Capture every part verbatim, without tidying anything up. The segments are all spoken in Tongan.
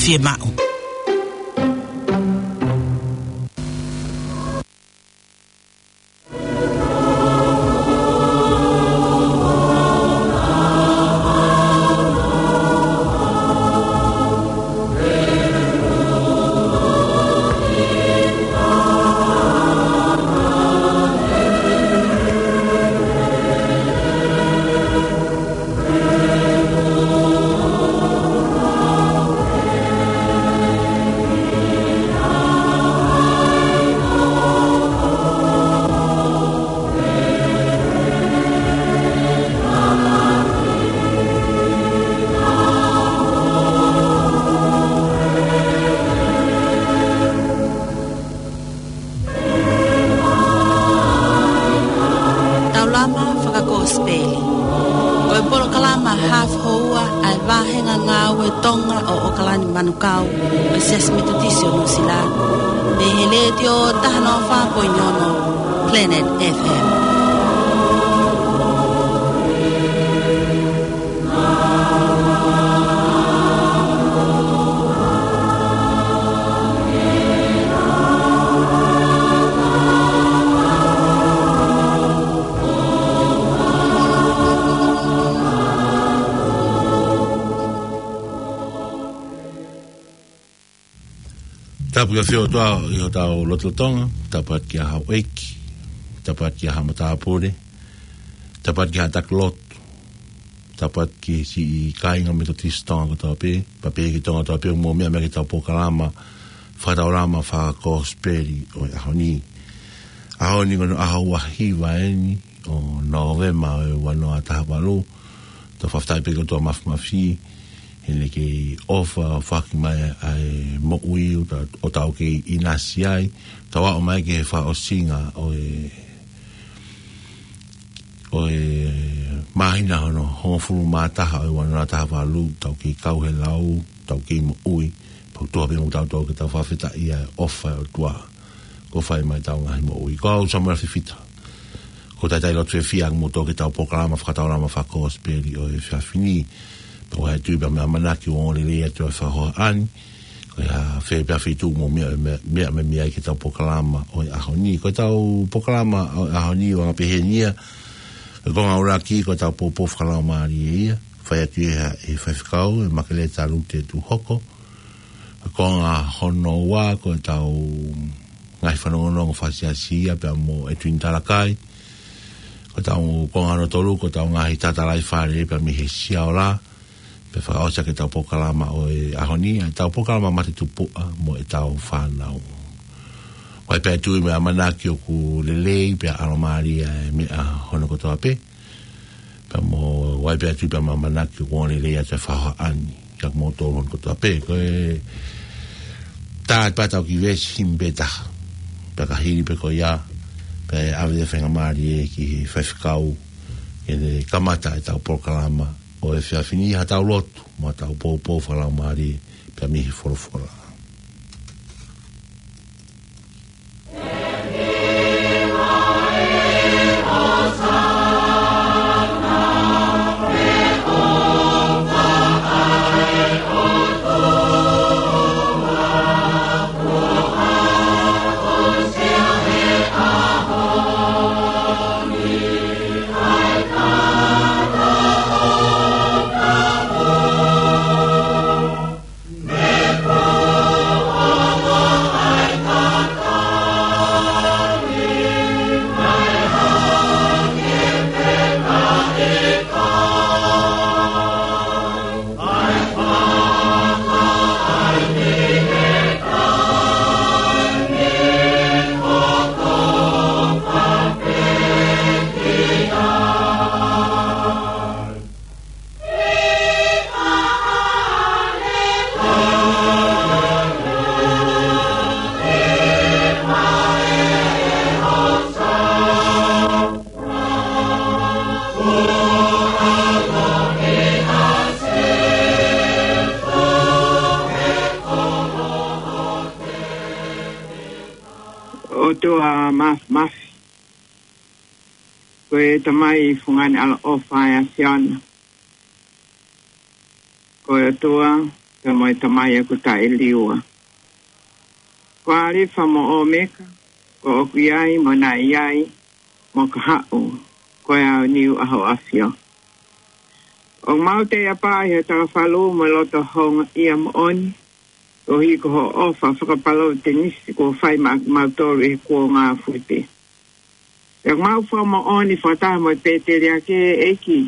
Fiemaʻu. Taulama fakakosipeli. Ko e polokalama hafu houa ʻa e vāhenga ngāue Tonga ʻo ʻOkalani Manukau, ʻo e Siasi Metotisi ʻo Nuʻusila, mei he Letiō taha noa fā poini ono Planet F M. Tapu ki he ʻOtua ʻi hotau lotolotonga, tapu atu ki haʻa houʻeiki, tapu atu ki haʻa matāpule, tapu atu ki haʻa taki lotu, tapu atu ki he siʻi kāinga Metotisi Tonga kotoa pē, pea pehē ki Tonga kotoa pē, mou meʻa mai ki heʻetau polokalama fakataulama fakakosipeli ʻo e ʻaho ni. ʻAho ni ko hono ʻaho ua hiva eni ʻo Nōvema ʻo e ua noa taha valu. Tau fakafetaʻi pē ki he ʻOtua Mafimafi, heʻene kei ʻofa ʻo foaki mai ʻa e moʻui ʻo ta-, ʻo tau kei ʻinasi ai, tau aʻu mai ki he fakaʻosinga ʻo e, ʻo e māhina hono hongofulu mā taha ʻo e ua noa taha valu, tau kei kau he lau, tau kei moʻui, pea ʻoku tuha pē mo kitautolu ke tau fakafetaʻi ʻa e ʻofa ʻa e ʻOtua kuo fai mai ʻetau ngaahi moʻui. Ko au Samuela Fifita. Ko e talitali lotu fiefia ʻaʻaku mo kimoutolu ki heʻetau polokalama fakataulama fakakosipeli ʻo e efiafi ni. Pea ʻoku ou tui pea mo e ʻamanaki ʻoku ongo lelei atu ʻa e fakahohaʻa ni. Ko e hā fē pē ʻa e feituʻu ʻoku mou meʻa, meʻa, meʻa, meʻa mai ai ki heʻetau polokalama ʻo e ʻaho ni. Ko ʻetau polokalama ʻo e ʻaho ni ʻoku anga pehē ni ia. Ko e konga ʻuluaki ko ʻetau poupou fakalaumālie ia. Fai atu ia ʻe he faifekau, ʻe Makeleta Lute Tuhoko. Ko e konga hono ua ko ʻetau ngaahi fanongonongo fakasiasi ia pea mo ʻEtuini Talakai. Ko ʻetau konga hono tolu ko ʻetau ngaahi tatalaifale pea mei he Siaola. Pea fakaʻosi ʻaki ʻetau polokalama ʻo e ʻaho ni, ʻetau polokalama Mate Tupuʻa mo ʻetau fānau. ʻOku ou tui mo e ʻamanaki ʻoku lelei pea ʻalomālie ʻa e meʻa hono kotoa pē. Pea mo au pē ʻoku ou tui pea mo e ʻamanaki ʻoku ongo lelei atu ʻa e fakahohaʻa ni kiate kimoutolu hono kotoa pē. Ko e tā atu pē ʻetau kiʻi veesi himi pē taha. Pea ka hili pē ko ia, pea ʻe ʻave ʻa e faingamālie ki he faifekau ke ne kamata ʻetau polokalama ʻo e efiafi ni, haʻatau lotu mo haʻatau poupou fakalaumālie pea mei he folofola. ʻOtua Mafimafi, ko e Tamai fungani ʻaloʻofa ʻa e ʻAfiona. Ko e ʻOtua pea mo e Tamai ʻoku taʻeliua. Ko Alifa mo ʻOmeka, ko ʻoku ʻi ai, mo naʻe ʻi ai, mo ka haʻu, ko e ʻaoniu ʻa hoʻo ʻafio. ʻOku mau taiʻapā ʻi he takafalu mo e loto houngaʻia moʻoni, koeʻuhi ko hoʻo ʻofa fakapalōvetenisi kuo fai maʻa kimautolu ʻi he kuonga fuli pē. Pea ʻoku mau fakamoʻoni fakataha mo e pēteliake, ʻEiki,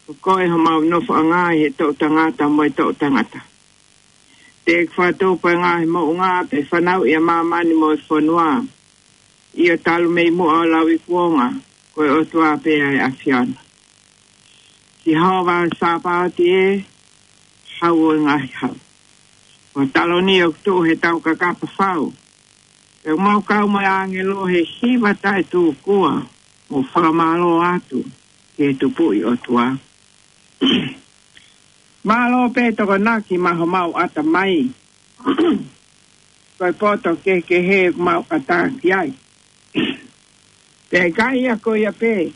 ko koe homau nofoʻanga ʻi he toʻutangata mo e toʻutangata. Te ke fakatupu e ngaahi moʻunga pea fanauʻi ʻa māmani mo e fonua. ʻIo, talu mei muʻa ʻo lauikuonga, ko e ʻOtua pē ʻa e ʻAfiona. Sihova Sāpaoti ē, Hau ʻo e ngaahi hau. Ko e taloni ʻoku tuʻu he tau kakapa fau. Pea ʻoku mau kau mo e ʻāngelo he hiva taʻetūkua, mo fakamālō atu ki he Tupuʻi ʻOtua. Mālō pē Tokonaki maʻa homau ʻatamai. Ko e poto kehekehe ʻoku mau ʻatā ki ai. Pea ʻikai ia ko ia pē,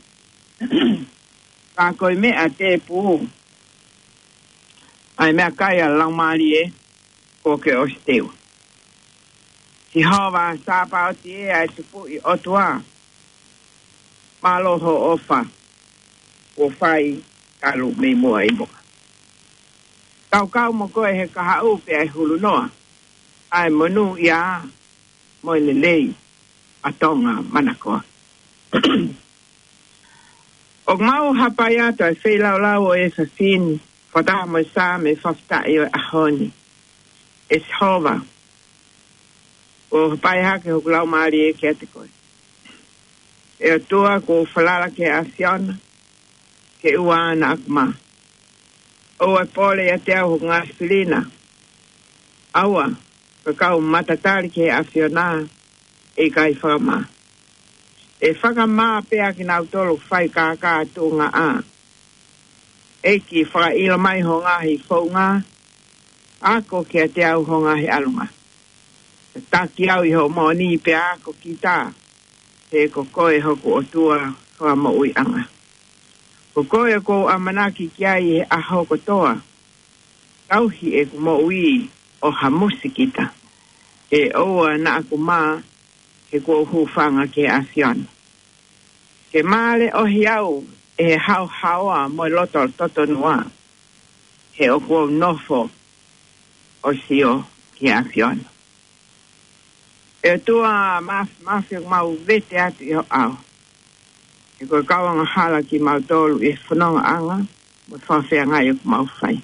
ka ko e meʻa tēpū ʻa e meʻakai ʻa e Laumālie kuo ke ʻosi teu. Sihova Sāpaoti ē, ʻa e Tupuʻi ʻOtua, mālō hoʻo ʻofa kuo fai talu mei muʻa ʻi muʻa. Tau kau mo koe he kahaʻu pea ʻi he hulunoa, ʻa e monūʻia mo e lelei ʻa Tonga manakoa. ʻOku mau hapai atu ʻa e feilaulau ʻo e efiafi ni, fakataha mo e Saame fakafetaʻi ʻo e ʻaho ni. ʻE Sihova, ʻoku hapai hake hoku laumālie kiate koe. ʻE ʻOtua, kuo u falala ki he ʻAfiona, ke ʻoua naʻa ku mā. ʻOua ʻe pole ʻiate au hoku ngaahi fili na. ʻAua, ko e kau matatali ki he ʻAfiona, ʻe ʻikai fakamā. ʻE fakamā pē ʻa kinautolu ʻoku fai kākā tuʻungaʻa. ʻEiki, fakaʻilo mai hoʻo ngaahi founga, ako kiate au hoʻo ngaahi ʻalunga. Tataki au ʻi hoʻo moʻoni pea ako kita, he ko koe hoku ʻOtua fakamoʻuiʻanga. Ko koe ʻoku ou ʻamanaki ki ai he ʻaho kotoa, tauhi ʻeku moʻui ʻo hamusi kita. Ke ʻoua naʻa ku mā, he kuo u hūfanga ki he ʻAfiona. Ke māleʻohi au ʻe he haohaoa mo e loto totonua, he ʻoku ou nofo ʻo sio ki he ʻAfiona. ʻE ʻOtua Māfimafi, ʻoku mau vete atu ʻi ho ʻao. He ko e kau angahala kimautolu ʻi he fonongaʻanga mo e fakafeangai ʻoku mau fai.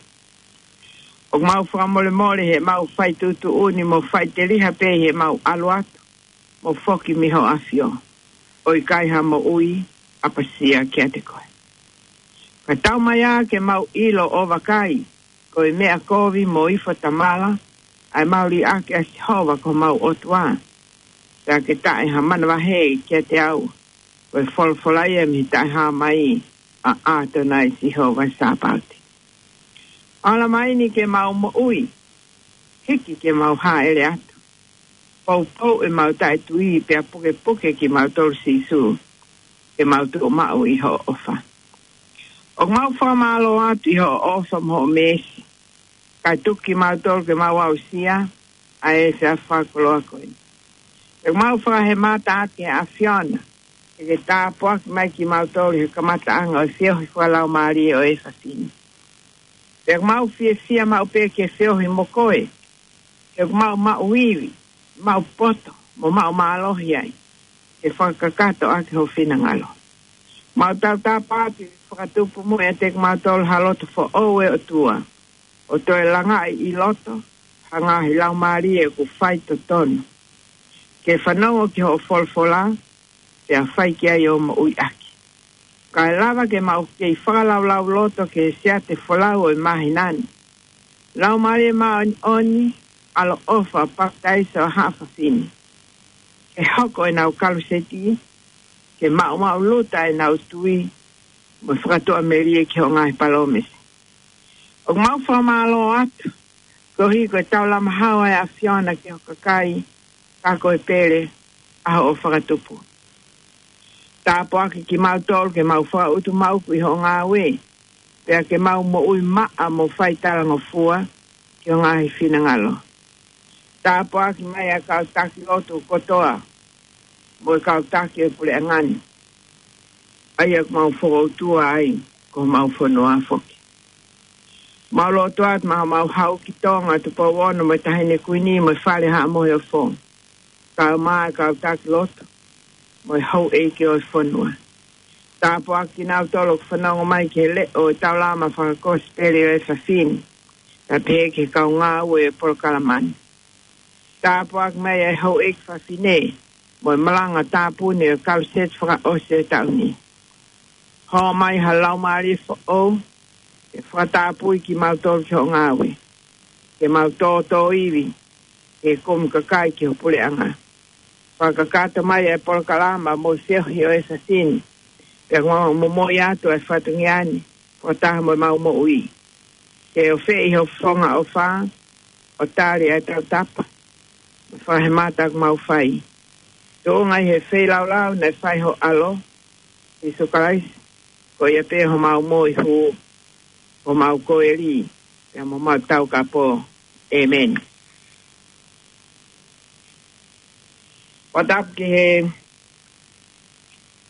ʻOku mau fakamolemole he mau fai tuʻutuʻuni mo fai teliha pē he mau ʻalu atu mo foki mei ho ʻafio, ʻo ʻikai ha moʻui ʻapasia kiate koe. Ka tau mai ā ke mau ʻilo ʻo vakai, ko e meʻa kovi mo ifo tamala ʻa e mau liʻaki ʻa Sihova ko homau ʻOtua. Pea ke taʻe ha manavahē kiate au, ko e folofola ia mei he taʻehāmai ʻa ʻAtonai Sihova Sāpaoti. Ala mai ni ke mau moʻui, hiki ke mau hāʻele atu. Poupou ʻemau taʻetui pea pukepuke kimautolu Sīsū, ke mau tuʻu maʻu ʻi hoʻo ʻofa. ʻOku mau fakamālō atu ʻi hoʻo ʻofa mo hoʻo meesi, kae tuku kimautolu ke mau aʻusia ʻa e efiafi fakakoloa ko eni. ʻOku mau fakahemata atu ki he ʻAfiona, ke ke tāpuaki mai kimautolu he kamataʻanga ʻo e feohi fakalaumālie ʻo e efiafi ni. Pea ʻoku mau fiefia maʻu pē ke feohi mo koe, he ʻoku mau maʻu ivi, maʻu poto, mo maʻu mālohi ai, ke fakakakato ʻaki ho finangalo. Mau tautapa atu ke fakatupu muʻa ʻiate kimautolu ha loto foʻou, ʻe ʻOtua, ʻo toe langaʻi ʻi loto ha ngaahi laumālie ʻoku fai totonu, ke fanongo ki hoʻo folofola, pea fai ki ai ʻo moʻui ʻaki. Kae lava ke mau kei fakalaulauloto ki he siate folau ʻo e māhina ni. Laumālie Māʻoniʻoni, ʻaloʻofa, papitaiso ʻa haʻa fafine, ke hoko ʻenau kaluseti, ke maʻumaʻuluta ʻenau tui, mo e fakatuʻamelie ki hoʻo ngaahi palōmesi. ʻOku mau fakamālō atu, koeʻuhi ko e taulamahau ʻa e ʻAfiona ki ho kakai, ka ko e pele ʻa hoʻo fakatupu. Tāpuaki kimautolu ke mau fakaʻutumauku ʻi hoʻo ngāue, pea ke mau moʻui maʻa mo fai talangofua, ʻi ho ngaahi finangalo. Tāpuaki mai ʻa e kau taki lotu kotoa, mo e kau taki ʻo e puleʻanga ni, ʻa ia ʻoku mau fokoutua ai ko homau fonua foki. Mau lotu atu maʻa homau hau ki Tonga, Tupou Ono mo e Taʻahine Kuini mo e Fale Haʻa Moheofo, kae ʻumaʻā e kau taki lotu mo e houʻeiki ʻo e fonua. Tāpuaki kinautolu ʻoku fanongo mai ki he leʻo ʻo e taulama fakakosipeli ʻo e efiafi ni, kae pehē ki he kau ngāue ʻo e polokalama ni. Tāpuaki mai ʻa e houʻeiki fafine mo e malanga tāpuni ʻo e kaluseti fakaʻosi ʻo e taʻu ni. Hoko mai ha laumālie foʻou ke fakatāpui kimautolu ki hoʻo ngāue, ke mau tōtōivi he kumi kakai ki ho puleʻanga. Fakakakato mai e polokalama mo e feohi ʻo e efiafi ni, pea mau momoi atu e fatongia ni fakataha mo ʻemau moʻui. Ke ofeʻi ho fofonga ʻofa, ʻo tali ʻa e tautapa mo e fakahemata ʻoku mau fai, tuʻunga ʻi he feilaulau naʻe fai ho ʻAlo, Sīsū Kalaisi, ko ia pē homau moihū, homau koeli, pea mo homau taukapo. ʻĒmeni. Fakatapu ki he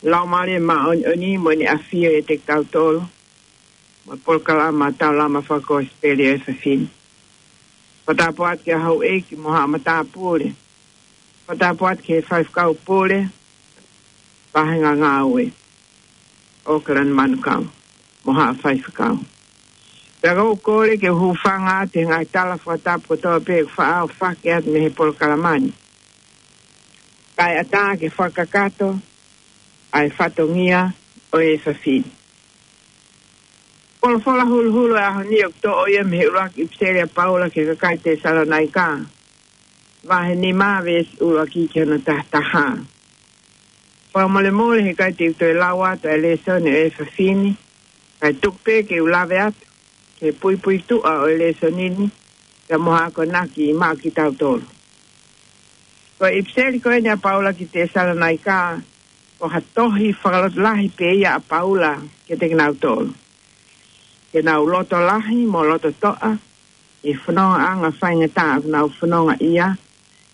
Laumālie Māʻoniʻoni mo ʻene ʻafio ʻiate kitautolu, mo e polokalama taulama fakakosipeli ʻo e efiafi ni. Fakatapu atu ki he houʻeiki mo haʻa matāpule. Fakatapu atu ki he faifekau pule, vāhenga ngāue, ʻAokalani Manukau, mo haʻa faifekau. Pea ʻoku ou kole ke u hūfanga atu he ngaahi tala fakatapu kotoa pē ʻoku faʻa ʻohake atu mei he polokalama ni, kae ʻatā ke fakakakato ʻa e fatongia ʻo e efiafi ni. Folofola huluhulu ʻo e ʻaho ni ʻoku toʻo ia mei he ʻuluaki ʻipiseli ʻa Paula ki he kakai Tesalonaika, vahe nima, veesi ʻuluaki ki hono tahataha. Fakamolemole he ʻikai te u toe lau atu ʻa e lēsoni ʻo e efiafi ni, kae tuku pē ke u lave atu ki he puipuituʻa ʻo e lēsoni ni, pea mo ha akonaki maʻa kitautolu. Ko e ʻipiseli ko eni ʻa Paula ki Tesalonaika, ko ha tohi fakalotolahi pē ia ʻa Paula kiate kinautolu, ke nau loto lahi mo loto toʻa ʻi he fonongaʻanga faingataʻa ʻoku nau fonongaʻia,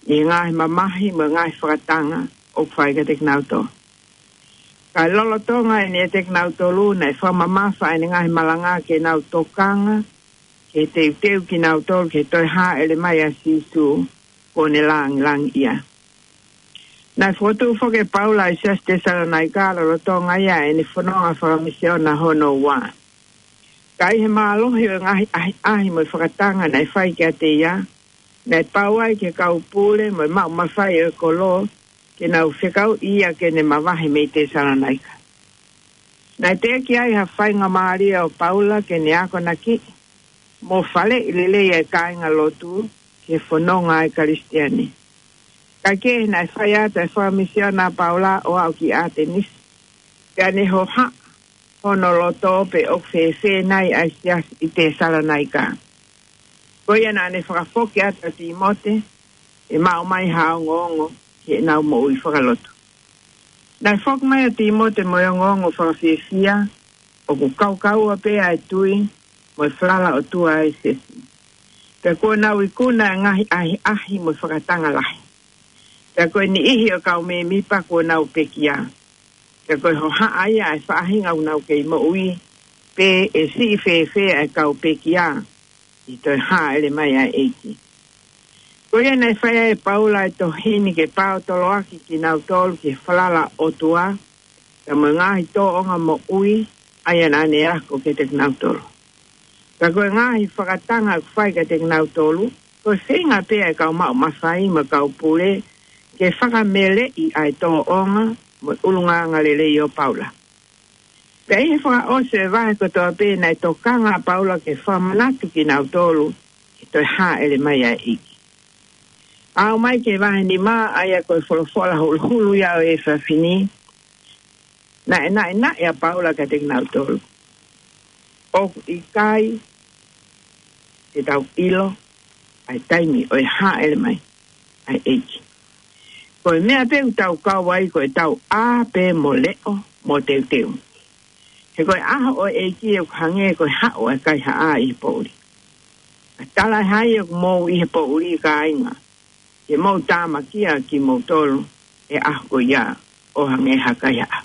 ʻi he ngaahi mamahi mo e ngaahi fakatanga ʻoku fai kiate kinautolu. Kae lolotonga eni ʻiate kinautolu, naʻe fakamamafa ʻene ngaahi malanga ke nau tokanga ki he teuteu kinautolu ki he toe hāʻele mai ʻa Sīsū kuo ne langilangiʻia. Naʻe fokotuʻu foki ʻe Paula ʻa e siasi Tesalonaika lolotonga ia ʻene fononga fakamisiona hono ua. Ka ʻi he mālohi ʻo e ngaahi ʻahiʻahi mo e fakatanga naʻe fai kiate ia, naʻe pau ai ki he kau pule mo e maʻu mafai ʻo e kolo ke nau fekauʻi ia ke ne mavahe mei Tesalonaika. Naʻe teʻeki ai ha faingamālie ʻo Paula ke ne akonakiʻi mo faleʻi lelei ʻa e kāingalotu ki he fononga ʻa e Kalisitiane. Kae kehe, naʻe fai atu ʻa e fakamisiona ʻa Paula ʻo aʻu ki ʻAtenisi, pea ne hohaʻa hono loto pe ʻoku fēfē nai ʻa e siasi ʻi Tesalonaika. Ko ia naʻa ne fakafoki atu ʻa Tīmote ke maʻu mai ha ongoongo ki heʻenau moʻui fakalotu. Naʻe foki mai ʻa Tīmote mo e ongoongo fakafiefia, ʻoku kaukaua pē ʻa e tui mo e falala ʻOtua ʻa e siasi. Pea kuo nau ikuna ʻa e ngaahi ʻahiʻahi mo e fakatanga lahi. Pea ko e niʻihi ʻo e kau mēmipa kuo nau pekia. Pea ko e hohaʻa ia ʻa e faʻahinga ʻoku nau kei moʻui, pe ʻe siʻi fēfē ʻa e kau pekia ʻi he toe hāʻele mai ʻa e ʻEiki. Ko ia naʻe fai ai ʻe Paula ʻa e tohi ni ke paotoloaki kinautolu ki he falala ʻOtua, pea mo e ngaahi tōʻonga moʻui ʻa ia naʻa ne ako kiate kinautolu. Ka ko e ngaahi fakatanga ʻoku fai kiate kinautolu, ko e feinga pē ʻa e kau maʻu mafai mo e kau pule ke fakameleʻi ʻa e tōʻonga mo e ʻulungaanga lelei ʻo Paula. Pea ʻi he fakaʻosi ʻo e vahe kotoa pē, naʻe tokanga ʻa Paula ke fakamanatu kinautolu ki he toe hāʻele mai ʻa e ʻEiki. Aʻu mai ki he vahe nima, ʻa ia ko e folofola huluhulu ia ʻo e efiafi ni, naʻe naʻinaʻi ʻa Paula kiate kinautolu. ʻOku ʻikai te tau ʻilo ʻa e taimi ʻo e hāʻele mai ʻa e ʻEiki. Ko e meʻa pē ʻoku tau kau ai ko ʻetau ʻā pē mo leʻo mo teuteu. He ko e ʻaho ʻo e ʻEiki ʻoku hangē ko e haʻu ʻa e kaihaʻa ʻi he poʻuli. Talaʻehai ʻoku mou ʻi he poʻuli, kāinga, ke mou tāmakia kimoutolu he ʻaho ko ia ʻo hangē ha kaihaʻa.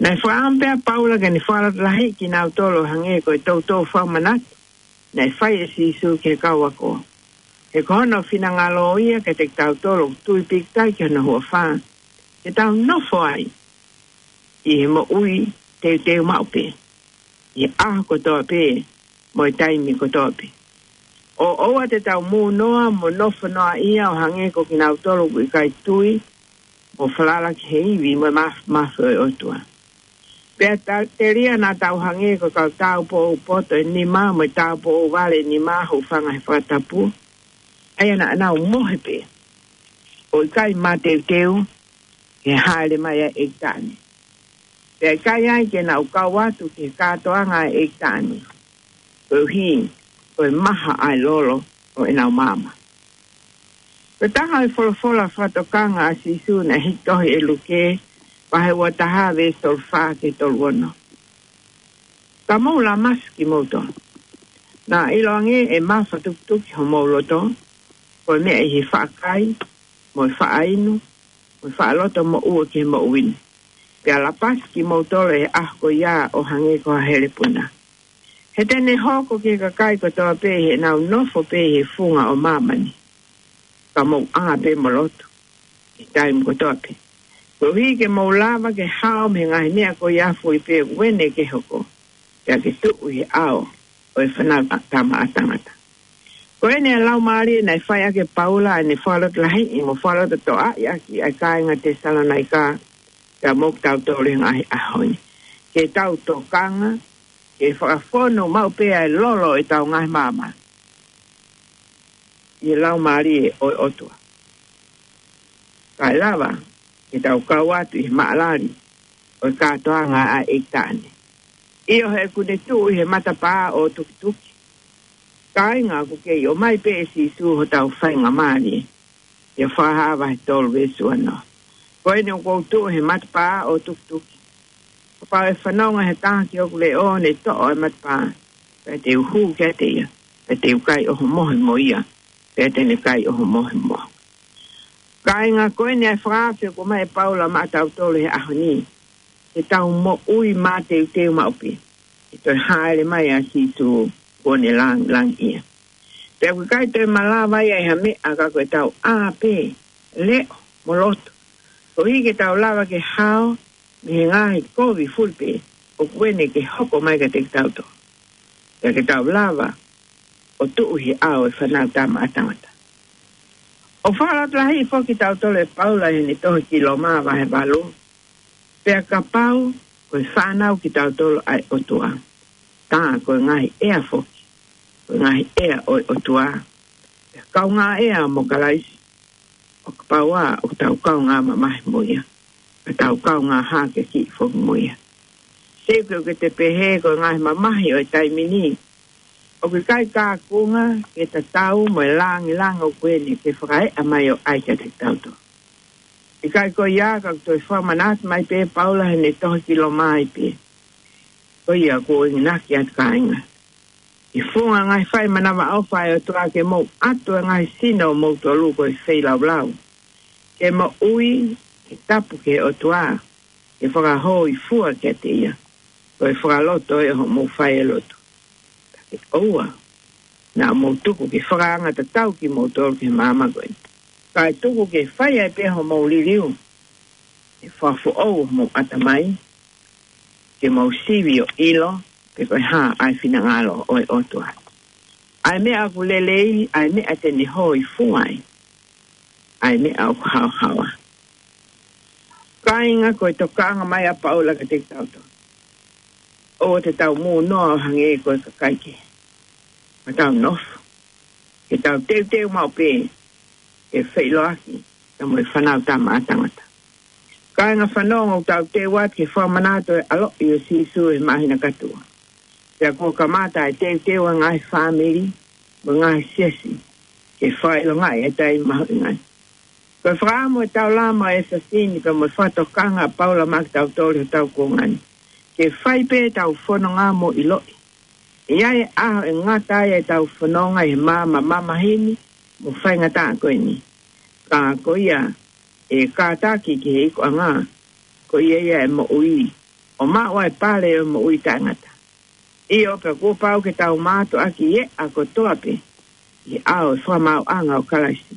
Naʻe fakaʻamu pē ʻa Paula ke ne fakalotolahiʻi kinautolu ʻo hangē ko e toutou fakamanatu naʻe fai ʻe Sīsū ki he kau ako. He ko hono finangalo ia kiate kitautolu ʻoku tui pīkitai ki hono huafa, ke tau nofo ai ʻi he moʻui teuteu maʻu pē, ʻi he ʻaho kotoa pē, mo e taimi kotoa pē. ʻO ʻoua te tau mūnoa mo nofo noaʻia ʻo hangē ko kinautolu ʻoku ʻikai tui, ʻo falala ki he ivi mo e māf-, māfimafi ʻo e ʻOtua. Pea ta-, telia naʻa tau hangē ko e kau tāupoʻou poto ʻe nima mo e tāupoʻou vale ʻe nima, hūfanga he fakatapu, ʻa ia naʻa nau mohe pē ʻo ʻikai mateuteu ki he hāʻele mai ʻa e ʻEiki Taʻane. Pea ʻikai ai ke nau kau atu ki he kātoanga ʻa e ʻEiki Taʻane, koeʻuhi ko e maha ʻa e lolo ʻo ʻenau maama. Ko e taha ʻo e folofola fakatokanga ʻa Sīsū naʻe hiki tohi ʻe Luke, vahe ua taha, veesi tolu fā ki he tolu ono. Ka mou lamasi kimoutolu. Naʻa ʻiloange ʻe mafatukituki homou loto, ko e meʻa ʻi he faʻa kai, mo e faʻa inu, mo e faʻa loto moʻua ki he moʻui ni. Pea lapasi kimoutolu he ʻaho ko ia ʻo hangē ko ha helepuna. He te ne hoko ki he kakai kotoa pē ʻi heʻenau nofo pē ʻi he funga ʻo māmani. Ka mou ʻā pē mo lotu ʻi he taimi kotoa pē, koeʻuhi ke mou lava ke hao mei he ngaahi meʻa ko ia foʻi pē ʻoku ʻene ke hoko, pea ke tuʻu ʻi he ʻao ʻo e Fānautama ʻa Tangata. Ko eni ʻa e laumālie naʻe fai ʻaki ʻe Paula ʻene fakalotolahiʻi mo fakalototoʻaʻi ʻaki ʻa e kāinga Tesalonaika, pea mo kitautolu he ngaahi ʻaho ni. Ke tau tokanga ke fakafonu maʻu pē ʻa e lolo ʻo ʻetau ngaahi maama ʻi he Laumālie ʻo e ʻOtua, kae lava ke tau kau atu ʻi he maʻalali ʻo e kātoanga ʻa e ʻEiki Taʻane. ʻIo, he ʻoku ne tuʻu ʻi he matapā ʻo e tukituki. Kāinga, ʻoku kei ʻomai pē ʻe Sīsū hotau faingamālie. ʻIo, Fakahā vahe tolu, veesi ua noa. Ko eni ʻoku ou tuʻu he matapā ʻo e tukituki. Kapau ʻe fanongo ha taha ki hoku leʻo, ne toʻo ʻa e matapā, pea te u hū kiate ia, pea te u kai ʻohomohe mo ia, pea te ne kai ʻohomohe mo au. Kāinga, ko eni ʻa e fakaafe ʻoku ʻomai ʻe Paula maʻatautolu he ʻaho ni, ke tau moʻui mateuteu maʻu pē, ʻi he toe hāʻele mai ʻa Sīsū kuo ne lāngilangiʻia. Pea ʻoku ʻikai toe malava ia ʻe ha meʻa ka ko ʻetau ʻā pē, leʻo mo lotu, koeʻuhi ke tau lava ke hao mei he ngaahi kovi fulipē ʻoku ʻene ke hoko mai kiate kitautolu. Pea ke tau lava ʻo tuʻu he ʻao ʻo e Fānautama ʻa Tangata. ʻOku fakalotolahiʻi foki kitautolu ʻe Paula ʻi heʻene tohi ki Loma vahe valu: Pea kapau ko e fānau kitautolu ʻa e ʻOtua, tā ko e ngaahi ʻea foki, ko e ngaahi ʻea ʻo e ʻOtua, pea kaungā ʻea mo Kalaisi, ʻo kapau ʻoku tau kaungā mamahi mo ia, ka tau kaungā hākeakiʻi foki mo ia. Seuke, ʻoku te pehē ko e ngaahi mamahi ʻo e taimi ni ʻoku ʻikai kaunga ke tatau mo e lāngilangi ʻoku ʻene ke fakaeʻa mai ʻo ʻai kiate kitautolu. ʻIkai ko ia, ka ʻoku toe fakamanatu mai pē ʻe Paula heʻene tohi ki Loma ai pē: Ko ia ʻoku ou enginaki atu, kāinga, ʻi he funga ngaahi fai manavaʻofa ʻa e ʻOtua, ke mou ʻatu ʻa e ngaahi sino ʻo moutolu ko e feilaulau, ke moʻui, ke tapu ki he ʻOtua, ke fakahōifua kiate ia, ko e fakaloto ʻo hoʻomou fai ʻa e lotu. Ka ke ʻoua naʻa mou tuku ke fakaanga tatau kimoutolu ki he maama ko eni, kae tuku ke fai ai pē homou liliu, ke fakafoʻou homou ʻatamai, ke mou sivi ʻo ʻilo pe ko e hā ʻa e finangalo ʻo e ʻOtua, ʻa e meʻa ʻoku lelei, ʻa e meʻa te ne hōifua ai, ʻa e meʻa ʻoku haohaoa. Kāinga, ko e tokanga mai ʻa Paula kiate kitautolu, ʻoua te tau mūnoa ʻo hangē ko e kakai kehe. Ka tau nofo, ke tau teuteu maʻu pē ke feʻiloaki pea mo e Fānautama ʻa Tangata. Kāinga, fanongo, ʻoku tau teu atu ki he fakamanatu ʻo e ʻaloʻi ʻo Sīsū he māhina kātoa. Pea kuo kamata ʻa e teuteu ʻa e ngaahi fāmili mo e ngaahi siasi ke fakaʻilongaʻi ʻa e taimi mahuʻinga ni. Ko e fakaʻamu ʻo e taulama ʻo ʻEfesō ni pea mo e fakatokanga ʻa Paula maʻa kitautolu he ʻaho ko eni, ke fai pē ʻetau fononga mo ʻiloʻi ʻI ai e ʻaho ʻe ngata ai ʻetau fononga ʻi he maama mamahi ni mo faingataʻa ko eni. Ka ko ia ʻe kātaki ki he ikuʻanga, ko ia ia ʻe moʻui, ʻo maʻu ai e pale ʻo e moʻui taʻengata. ʻIo, pea kuo pau ke tau mātuʻaki ʻi he ʻaho kotoa pē ʻi he ʻao ʻo e fakamaauʻanga ʻo Kalaisi,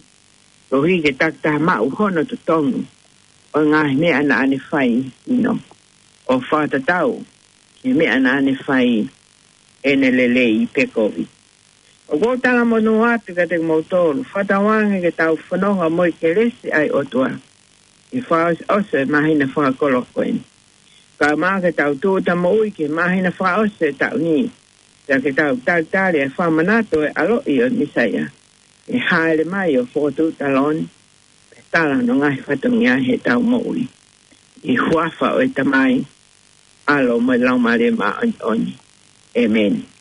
koeʻuhi ke takitaha maʻu hono totongi ʻo e ngaahi meʻa naʻa ne fai ʻi he sino, ʻo fakatatau ki he meʻa naʻa ne fai ʻene lelei pe kovi. ʻOku ou talamonū atu kiate kimoutolu, fakatauange ke tau fononga mo e kelesi ʻa e ʻOtua ʻi he fakaʻosi ʻo e māhina fakakoloa ko eni, kae ʻumaʻā ke tau tūʻuta moʻui ki he māhina fakaʻosi ʻo e taʻu ni, pea ke tau talitali e fakamanatu ʻo e ʻaloʻi ʻo e Mīsaia ʻe hāʻele mai ʻo fokotuʻu taloni, pea tala hono ngaahi fatongia heʻetau moʻui. ʻI he huafa ʻo e Tamai, ʻAlo mo e Laumālie Māʻoniʻoni. ʻĒmeni.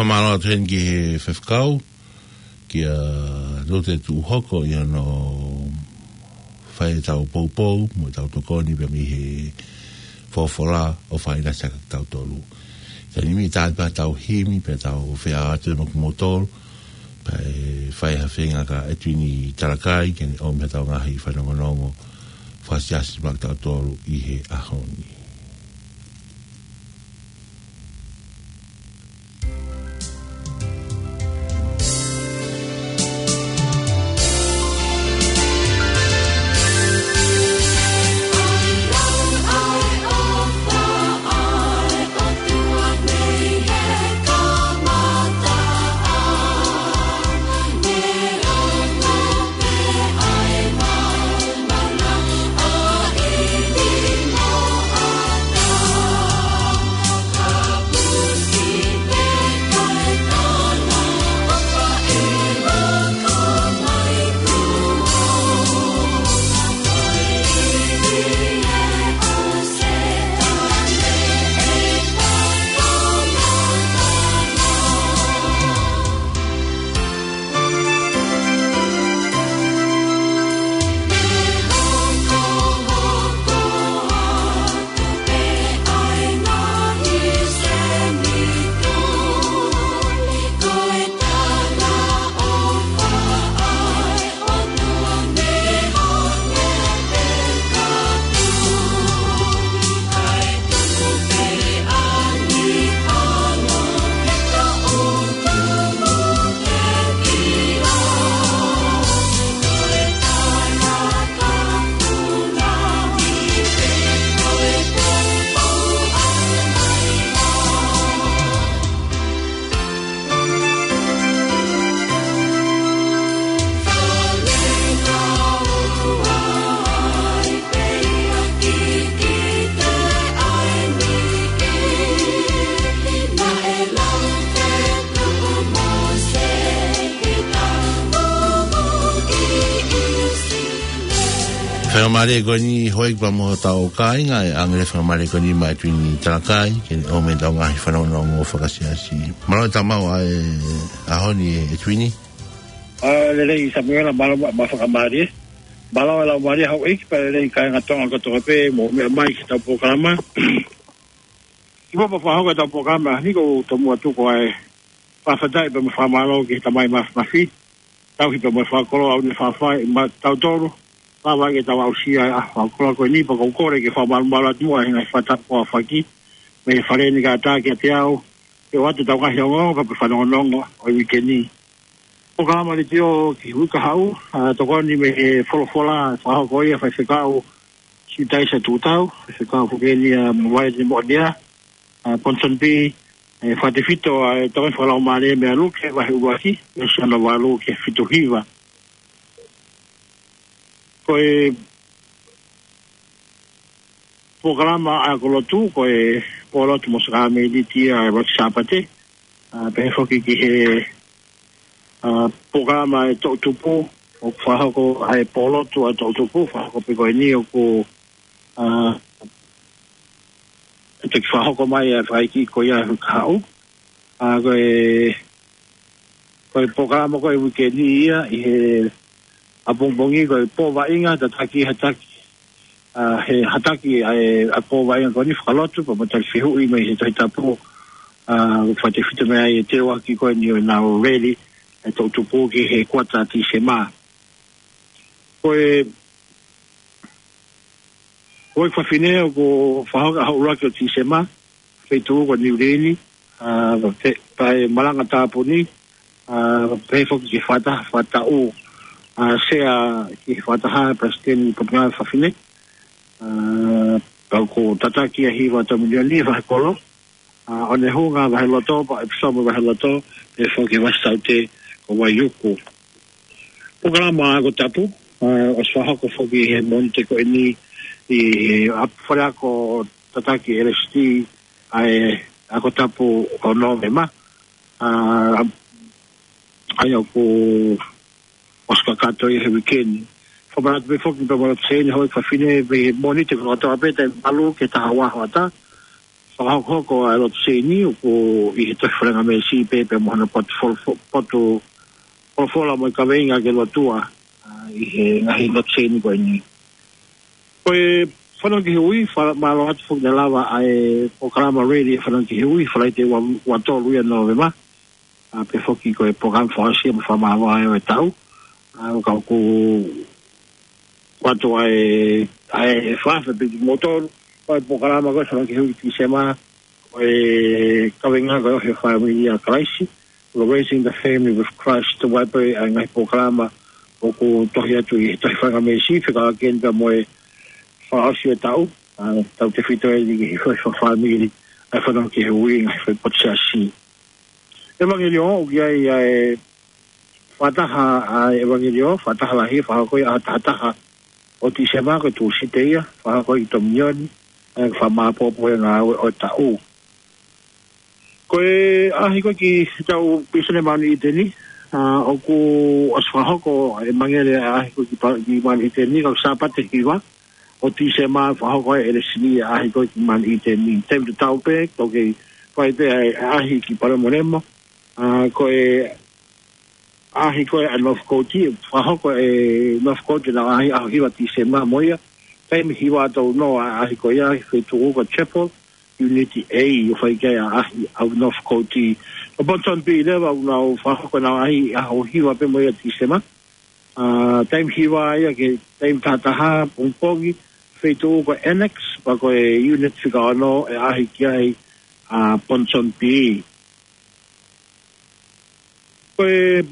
Fakamālō atu heni ki he faifekau, kia Lote Tuʻuhoko, ʻi hono fai ʻetau poupou mo ʻetau tokoni pea mei he folofola ʻo fai na sa kitautolu. Ka ʻi he taimi ni, tā pē ʻetau himi pea tau feʻao atu mo kimoutolu, pea ʻe fai ha feinga kia ʻEtuini Talakai ke ne ʻomi haʻatau ngaahi fanongonongo fakaʻosi mo kitautolu ʻi he ʻaho ni. Faingamālie ko eni hoi pea mo hotau kāinga, ʻe ʻange leva e faingamālie ko eni maʻa e Tuini Talakai, ke ne ʻomai ʻetau ngaahi fanongonongo fakasiasi. Mālō e tau maʻu ʻa e ʻaho ni ʻe Tuini. ʻA, lelei Samuela, mālō mo e fakamālie. Mālō e laumālie houʻeiki pea lelei kāinga Tonga kotoa pē, mou meʻa mai ki heʻetau polokalama. Kimuʻa pea fakahoko ʻetau polokalama, ʻi heʻeku tomuʻa tuku ʻa e fakafetaʻi pea mo e fakamālō ki he Tamai Māfimafi, tauhi pea mo e fakakoloa ʻoku ne fafai maʻatautolu, lava ke tau aʻusia ʻa e fakakoloa ko eni, pea ʻoku ou kole ke fakamalumalu atu muʻa he ngaahi fakatapu ʻoku aofaki mei he Fale ni kae ʻatā kiate au, ke ʻoatu ʻetau ngaahi ongoongo pea mo e fanongonongo ʻo e uike ni. Polokalama letiō ki he uike kahaʻu, ʻa, tokoni mei he folofola, fakahoko ia ʻe he faifekau Siutaisa Tuʻutau, faifekau foki eni ʻa Mavaemoʻonia, ʻa, Ponsonby, ʻe fakatefito ʻa e tokoni fakalaumālie mei a Luke, vahe ʻuluaki, veesi hono valu ki he fitu hiva. Ko e polokalama ʻa e ako lotu, ko e pōlotu mo e sākalamēniti ʻa e ʻuluaki Sāpate, ʻa, pehē foki ki he, ʻa, polokalama ʻa e toʻutupu, ʻoku fakahoko ʻa e pōlotu ʻa e toʻutupu, fakahoko pē ko eni ʻoku, ʻa, ʻe toki fakahoko mai ʻa e fakaʻeiki ko ia he uike kahaʻu. ʻA, ko e, ko e polokalama ko e uike ni ia, ʻi he ʻapongipongi ko e pō vaʻinga, tataki, hataki, ʻa, he hataki ʻa e, ʻa e pō vaʻinga ko eni fakalotu, pea mo e tali fehuʻi mei he Tohi Tapu, ʻa, fakatefito mei ai e teuaki ko eni ʻo ʻenau rally, ʻa e toʻutupu ki he kuata Tīsema. Ko e, ko e fafine ʻoku fakahoko ʻaho ʻuluaki ʻo Tīsema, feituʻu ko Niu Lini, ʻa, pe-, pea ʻe malanga tāpuni, ʻa, pehē foki ki he fakataha, fakataʻu, ʻa, sea ki he fakataha Palesiteni Potungāue Fafine, ʻa, pea ʻoku tataki ʻa e hiva ʻa e tau milioni ʻi he vahe kolo, ʻa, ʻOnehunga vahe loto, pea ʻEpisomu vahe loto, pehē foki ki he Vasi Saute ko Vaiuku. Polokalama ako tapu, ʻa, ʻosi fakahoko foki he Mōnite ko eni ʻi he ʻa, fale ako tataki L S T, ʻa e ako tapu ʻo Nōvema, ʻa, ʻa ia ʻoku ʻosi kakato ia he uike ni. Fakamanatu pē foki pea mo e lotu seini houʻeiki fafine mei he Mōnite kotoa pē taimi valu ki he taha ua hoʻatā. Fakahokohoko ʻa e lotu seini ʻoku ʻi he tohi faingamālie pē pea mo hono potu folo-, fo-, potu folofola mo e kaveinga ke lotua, ʻa, ʻi he ngaahi lotu seini ko eni. Ko e fanongo ki he ui, fa-, mālō atu foki naʻe lava ʻa e polokalama rally ʻa e fanongo ki he ui, Falaite ua, ua tolu ia Nōvema, ʻa, pehē foki ko e polokalama fakaʻosi mo fakamāvae ʻo e taʻu. ʻA, ʻoku ou ʻoatu ʻa e, ʻa e fakaafeʻi pē kimoutolu, ko e polokalama ko e fanongo ki he ui Tīsema, ko e kaveinga ko e ʻOhake e Fāmili ʻia Kalaisi, ko e Raising the Family with Christ, ʻa ia pē ʻa e ngaahi polokalama ʻoku tohi atu ʻi he tohi faingamālie, fekauʻaki eni pea mo e fakaʻosi ʻo e taʻu, ʻa, tautefito eni ki he ʻohake e fāmili, ʻa e fanongo ki he ui, ngaahi foʻi potu siasi. ʻEvangeliō, ʻoku ʻi ai ʻa e fakataha ʻa e ʻevangeliō, fakataha lahi, fakahoko ia ʻaho taha taha ʻo Tīsema, ko e Tūsite ia, fakahoko ʻi Tōminioni, ʻa e fakamāʻopoʻopo e ngāue ʻo e taʻu. Ko e ʻaʻahi ko ē ki heʻetau Pīsone Maʻoniʻite ni, ʻa, ʻoku ʻosi fakahoko ʻa e ʻevangeliō ʻaʻahi ko ē ki pa-, ki Maʻoniʻite ni, ko e Sāpate hiva ʻo Tīsema fakahoko ʻe he L S T ʻaʻahi ko ē ki Maʻoniʻite ni. Taimi tatau pē, ʻoku kei fai pē ʻa e ʻaʻahi ki Palemolemó, ʻa, ko e ʻaʻahi ko ē ʻa Northcote, fakahoko ʻe Northcote ʻenau ʻaʻahi ʻaho hiva Tīsema mo ia. Taimi hiva ʻa tautolu ʻa e ʻaʻahi ko ia, feituʻu ko Chapel, Unit A, ʻoku fai ki ai ʻa e ʻaʻahi ʻa Northcote. ʻO Ponsonby leva ʻoku nau fakahoko ʻenau ʻaʻahi ʻaho hiva pē mo ia Tīsema. ʻA, taimi hiva ia ki he taimi taha taha pongipongi, feituʻu ko Annex, pea ko e Unit fika ono ʻe ʻaʻahi ki ai ʻa Ponsonby. Ko e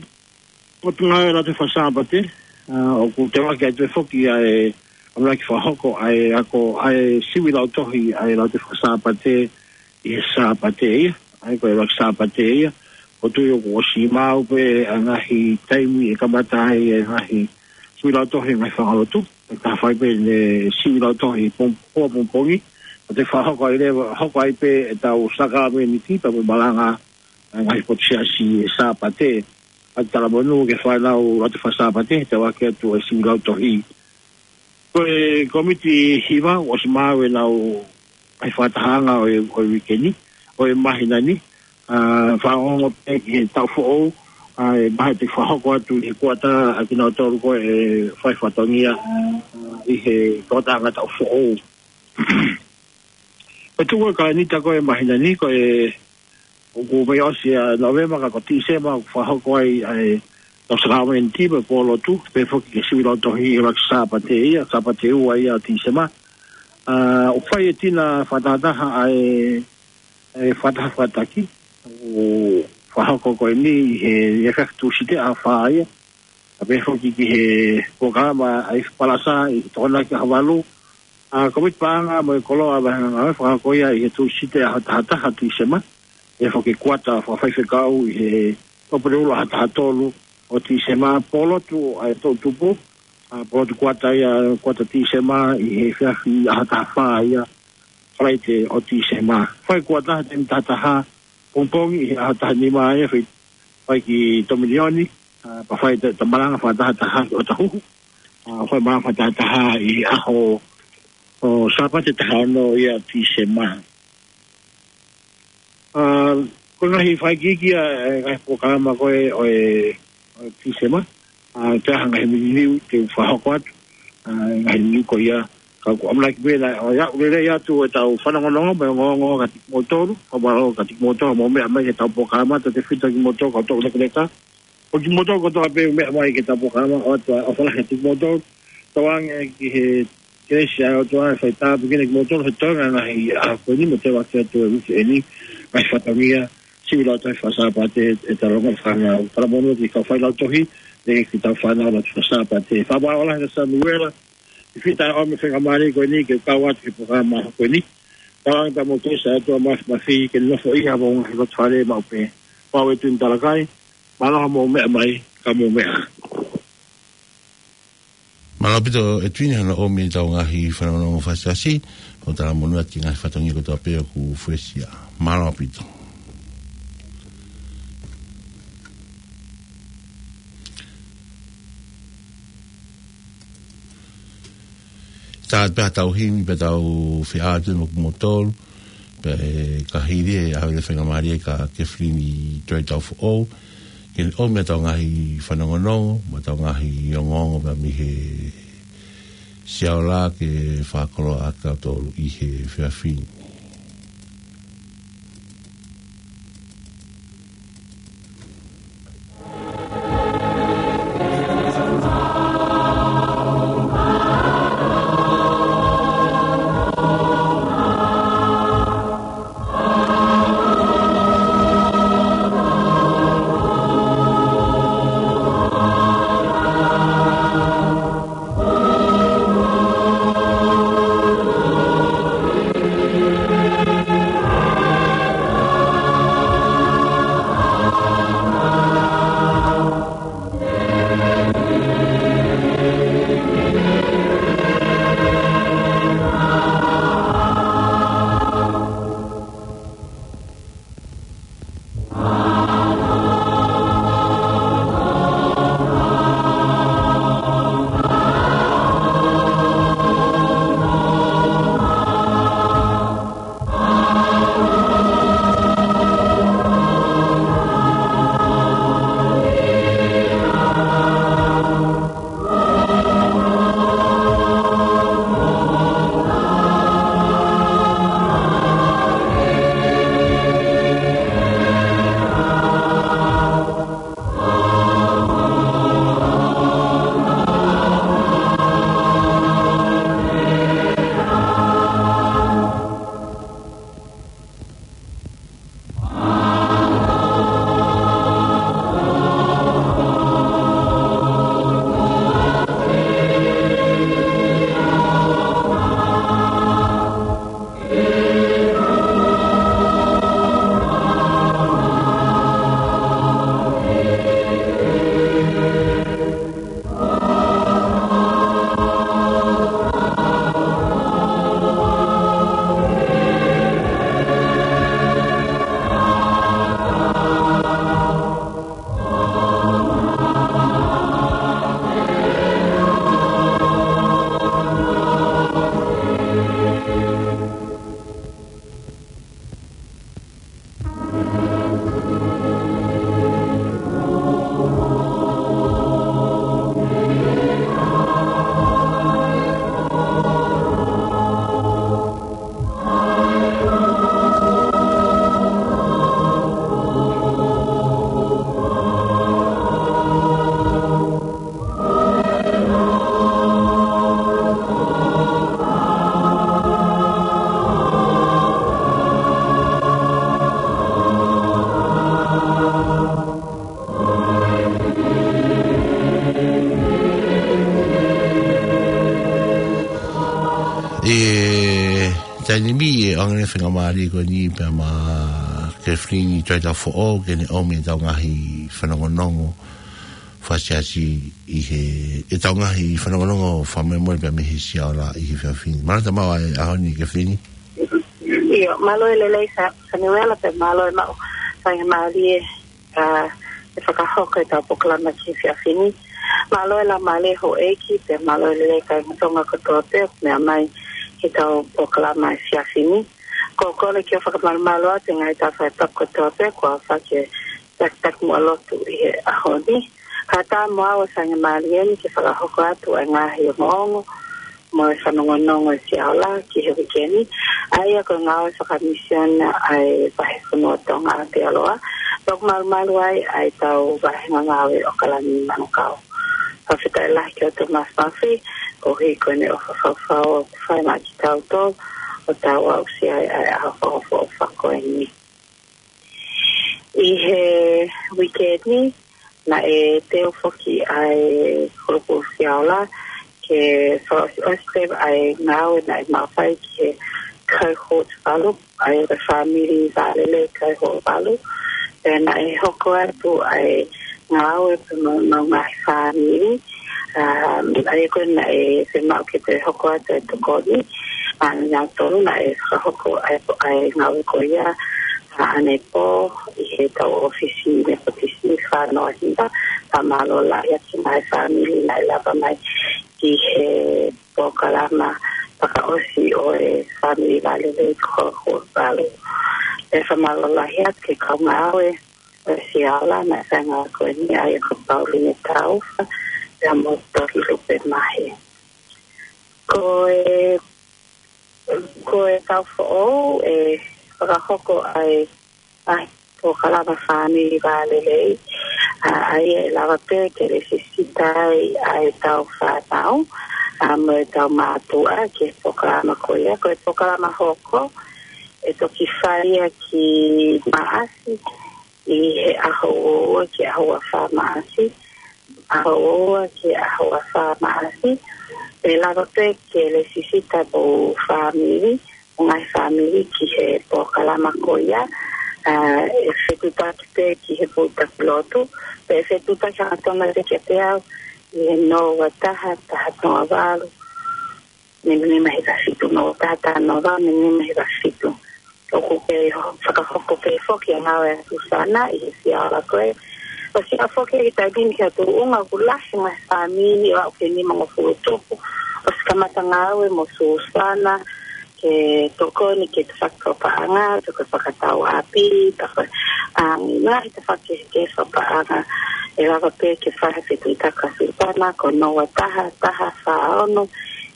Potungāue Lautohi Faka-Sāpate, ʻa, ʻoku teuaki atu foki ʻa e ʻamanaki fakahoko ʻa e ako, ʻa e sivi lautohi, ʻa e Lautohi Faka-Sāpate ʻi he Sāpate ia, ʻa ia ko e ʻuluaki Sāpate ia. ʻOku ou tui ʻoku ʻosi maʻu pē ʻa e ngaahi taimi ʻe kamata ai ʻa e ngaahi sivi lautohi, ngaahi fanga lotu. ʻE ka fai pē ʻene sivi lautohi pong-, pongipongi. ʻOku te fakahoko ai leva, hoko ai pē ʻetau sākalamēniti pea mo e malanga ʻa e ngaahi potu siasi he Sāpate. ʻA e talamonū ki he fānau Lautohi Faka-Sāpate, teuaki atu e sivi lautohi. Ko e kōmiti hiva, ʻosi maʻu ʻenau ʻai fakatahaʻanga ʻo e, ʻo e uike ni, ʻo e māhina ni, ʻa, fakaongo pē ki he taʻu foʻou, ʻa, ʻe maha te fakahoko atu ʻi he kuata ʻa kinautolu ko ē ʻe fai fatongia, ʻa, ʻi he toʻotaʻanga taʻu foʻou. Ko e tuʻu ʻa e kalēnita ko ē māhina ni, ko e ʻoku mei ʻosi ʻa Nōvema ka ko Tīsema ʻoku fakahoko ai ʻa e tau sākalamēniti mo e pōlotu, pehē foki ki he sivi lautohi ʻi he ʻuluaki Sāpate ia, Sāpate ua ia ʻo Tīsema. ʻA, ʻoku fai e tina fakatahataha ʻa e, ʻa e fakataha fakataki, ʻoku fakahoko ko eni ʻi he, ʻi he efiafi Tūsite ʻaho fā ia, ʻa pehē foki ki he polokalama ʻa e palasa ʻi he Tokonaki ʻaho valu. ʻA, kōmiti paʻanga mo e koloa ʻa e vahenga ngāue fakahoko ia ʻi he Tūsite ʻaho taha taha Tīsema. ʻE foki kuata fakafaifekau ʻi he Tuʻapulelulu ʻaho taha tolu ʻo Tīsema, pōlotu ʻa e toʻutupu, ʻa, pōlotu kuata ia, kuata Tīsema ʻi he efiafi ʻaho taha fā ia, Falaite ʻo Tīsema. Fai kuata he taimi taha taha pongipongi ʻi he ʻaho taha nima ia, fai, fai ki Tomilioni, ʻa, pea fai ta-, ta malanga fakataha taha ki ʻOtahuhu. ʻA, fai malanga fakataha taha ʻi he ʻaho ʻo Sāpate taha ono ia Tīsema. ʻA, ko e ngaahi fakaikiiki ia, ʻa e ngaahi polokalama ko ē ʻo e, ʻo e Tīsema. ʻA, te aha ngaahi meʻa liliu te u fakahoko atu. ʻA, ngaahi liliu ko ia, ka ʻoku ʻamanaki pē naʻe ʻoku lelei atu ʻetau fanongonongo mo e ongoongo kiate kimoutolu, fakamālō kiate kimoutolu hoʻomou meʻa mai ki heʻetau polokalama, tautefito kimoutolu kau tau lekaleka. Ko kimoutolu kotoa pē ʻoku meʻa mai ki heʻetau polokalama, ʻoatu ʻa e ʻofa lahi kiate kimoutolu. Tauange ki he kelesi ʻa e ʻOtua ʻe fai tāpuekina kimoutolu he toenga ngaahi ʻaho ko eni mo e teu atu atu e uike eni, ngaahi fatongia, sivi lautohi fakasāpate ʻe talango fānau. Talamonū ki he kau fai lautohi, ʻe ki he kau fānau lautohi fakasāpate. Fakamālō lahi kia Samuela, ʻi he fita ʻo e faingamālie ko eni ke kau atu ki he polokalama ko eni. Tauange pea mo e kelesi ʻa e ʻOtua Māfimafi ke nofo ʻi homou ngaahi loto fale maʻu pē. Pau e tui talakai, mālō hoʻomou meʻa mai, ka mou meʻa. Mālō ʻaupito ʻEtuini hono ʻomi ʻetau ngaahi fanongonongo fakaʻosi, ʻo talamonū atu ki he ngaahi fatongia kotoa pē ʻoku fuesia. Mālō ʻaupito. Tau ʻatā pē ʻetau himi pea tau feʻao atu mo kimoutolu, pea ʻe ka hili ʻe ʻave e faingamālie kia Kefilini Toi Taufoʻou, ke ne ʻomi ʻetau ngaahi fanongonongo, mo ʻetau ngaahi ongoongo pea mei he Siaola ke fakakoloa ʻaki kitautolu ʻi he efiafi ni. Taimi ni ʻe ʻoange faingamālie ko eni pea mo Kefilini Tuaitafoʻou ke ne ʻomi ʻetau ngaahi fanongonongo fakaʻosi ʻi he, ʻetau ngaahi fanongonongo fakamolemole pea mei he Siaola ʻi he efiafi ni. Mālō e maʻu ʻa e ʻaho ni Kefilini. ʻIo, mālō e lelei Sa-, Samuela pea mālō e maʻu faingamālie ʻa e fakahoko ʻetau polokalama ki he efiafi ni. Mālō e laumālie houʻeiki, pea mālō e lelei kāinga Tonga kotoa pē ʻoku meʻa mai ki heʻetau polokalama efiafi ni. Ko e kole ke u fakamalumalu atu e ngaahi tafaʻaki kotoa pē, kuo aofaki e takitakimuʻa lotu ʻi he ʻaho ni. Kae ʻatā mo au ʻa e faingamālie ni ke fakahoko atu ʻa e ngaahi ongoongo mo e fanongonongo ʻa e Siaola ki he uike ni, ʻa ia ko e ngāue fakamisiona ʻa e Vahefonua Tonga ʻi Aotearoa. Pea ʻoku malumalu ai ʻa ʻetau vāhenga ngāue ʻo ʻAokalani Manukau. Fakafetaʻi lahi kia Thomas Murphy, koeʻuhi ko ʻene ʻofa fau ʻoku fai maʻa kitautolu ʻo tau aʻusia ai ʻa e ʻaho fakaʻofoʻofa ko eni. ʻI he uike ni, naʻe teu foki ʻa e Kulupu Siaola ke fakaʻosiʻosi pē ʻa e ngāue naʻe maʻu ai ki he cohort valu, ʻa e fāmili vālelei cohort valu. Pea naʻe hoko atu ʻa e ngāue pea mo e ngaahi fāmili, ʻa, ʻa ia ko ē naʻe fiemaʻu ke toe hoko atu e tokoni, ʻa, nautolu naʻe fakahoko ʻa e, ʻa e ngāue ko ia, ʻa, ʻanepō ʻi heʻetau ʻōfisi Nepotisi Fānoa Hiva, pea mālō lahi atu ki he ngaahi fāmili naʻe lava mai ki he polokalama fakaʻosi ʻo e fāmili vālelei cohort valu. ʻE fakamālō lahi atu ki he kau ngāue ʻo e Siaola naʻe fai e ngāue ko eni, ʻa ia ko Pauline Taufa, pea mo Tohi Lupe Mahe. Ko e, ko e taʻu foʻou ʻe fakahoko ai ʻa e polokalama fāmili vālelei, ʻa, ʻa ia ʻe lava pē ke lēsisita ai ʻa ʻetau fānau, ʻa, mo ʻetau mātuʻa ki he polokalama ko ia. Ko e polokalama hoko ʻe toki fai ia ki Maʻasi, ʻi he ʻaho ua ki he ʻaho ua fā Maʻasi, ʻaho ua ki he ʻaho ua fā Maʻasi. ʻE lava pē ke lēsisita mo e fāmili, mo e ngaahi fāmili ki he polokalama ko ia, ʻa, ʻe fetuʻutaki pē ki he fetuʻutaki lotu, pea ʻe fetuʻutaki hangatonu pē kiate au ʻi he noa ua taha, taha noa valu, miniti hiva fitu, noa taha, taha noa valu, miniti hiva fitu. ʻOku kei ho-, fakahoko pē foki ʻa e ngāue ʻa Susana ʻi he Siaola ko ē. ʻOsi ʻa foki e taimi ni ki ha tuʻunga ʻoku lahi e ngaahi fāmili ʻo aʻu ki he nimangofulu tupu ʻosi kamata ngāue mo Susana ke tokoni ki he tafaʻaki fakapaʻanga, tokoni fakatauʻapi, tokoni, ʻa, ngaahi tafaʻaki kehekehe fakapaʻanga. ʻE lava pē ke fai ha fetuʻutaki ʻa Susana, ko noa ua taha, taha fā ono,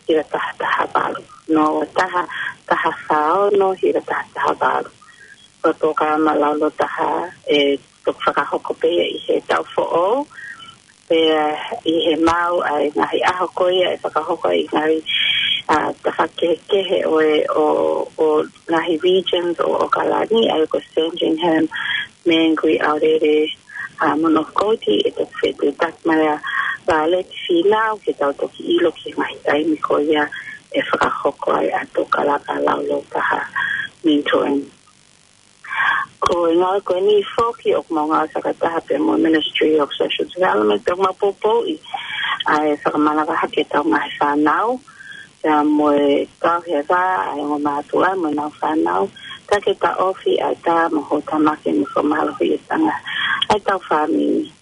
hiva taha taha valu. Noa ua taha, taha fā ono, hiva taha taha valu. Ko e polokalama laulototaha ʻe toki fakahoko pē ia ʻi he taʻu foʻou, pea ʻi he maʻu ʻa e ngaahi ʻaho ko ia ʻe fakahoko ai e ngaahi, ʻa, tafaʻaki kehekehe ʻo e, ʻo, ʻo e ngaahi regions ʻo ʻAokalani, ʻa ia ko Sandringham, Mangere, Aorere, ʻa, mo North Coast, ʻe toki fetuʻutaki mai ʻa Violet Fīnau ke tau toki ʻilo ki he ngaahi taimi ko ia ʻe fakahoko ai ʻa e polokalama laulototaha, mentoring. Ko e ngāue ko eni foki ʻoku mau ngāue fakataha pē mo e Ministry of Social Development, pea mau poupouʻi ʻa e fakamanavahake ʻetau ngaahi fānau, pea mo e tauhi e vā ʻa e ongo mātuʻa mo ʻenau fānau, pea ke taʻofi ʻa e tā mo e houtamaki mo e fakamālohiʻi e tangata ʻa ʻetau fāmili.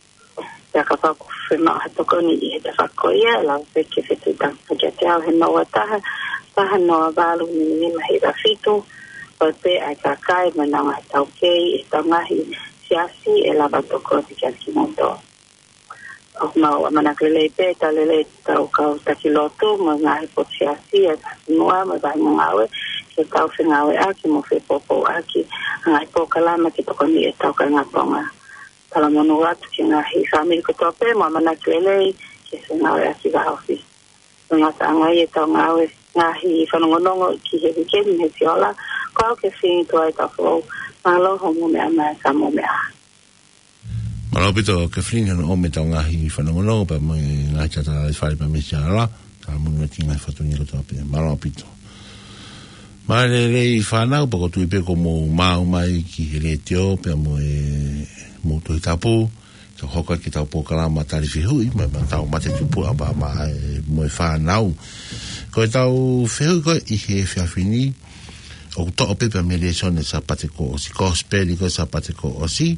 Pea kapau ʻoku fiemaʻu ha tokoni ʻi he tafaʻaki ko ia, ʻe lava pē ke fetuʻutaki kiate au he noa ua taha, taha noa valu, miniti hiva fitu, ʻo pehē ʻa e kakai mo ʻenau ngaahi taukei ʻi heʻetau ngaahi siasi ʻe lava tokoni kiate kimoutolu. ʻOku mau ʻamanaki lelei pē, tau lelei ʻetau kau taki lotu mo e ngaahi potu siasi ʻa e fonua mo e vahenga ngāue, ke tau fengāueʻaki mo fepoupouʻaki ʻa e ngaahi polokalama ke tokoniʻi ʻetau kāinga Tonga. Talamonū atu ki he ngaahi fāmili kotoa pē mo ʻamanaki lelei ke fengāueʻaki vāofi. Ko e ngataʻanga ia ʻetau ngāue, ngaahi fanongonongo ki he uike ni mei he Siaola, ko au Kefilini Tuaitafoʻou, mālō hoʻomou meʻa mai, ka mou meʻa. Mālō ʻaupito Kefilini hono ʻomi ʻetau ngaahi fanongonongo pea mo e ngaahi tala fale pea mei he Siaola, talamonū atu ki he ngaahi fatu ni kotoa pē. Mālō ʻaupito. Mālō e lelei fānau, pea ʻoku ou tui pē kuo mou maʻu mai ki he letiō, pea mo e, mo e Tohi Tapu, ke hoko atu ʻetau polokalama tali fehuʻi, mai, mai ʻetau mate tupu ʻa māmani mo e fānau. Ko ʻetau fehuʻi ko ē ʻi he efiafi ni, ʻoku toʻo pē mei he lēsoni Sāpate kuo ʻosi, Kosipeli ko ē Sāpate kuo ʻosi.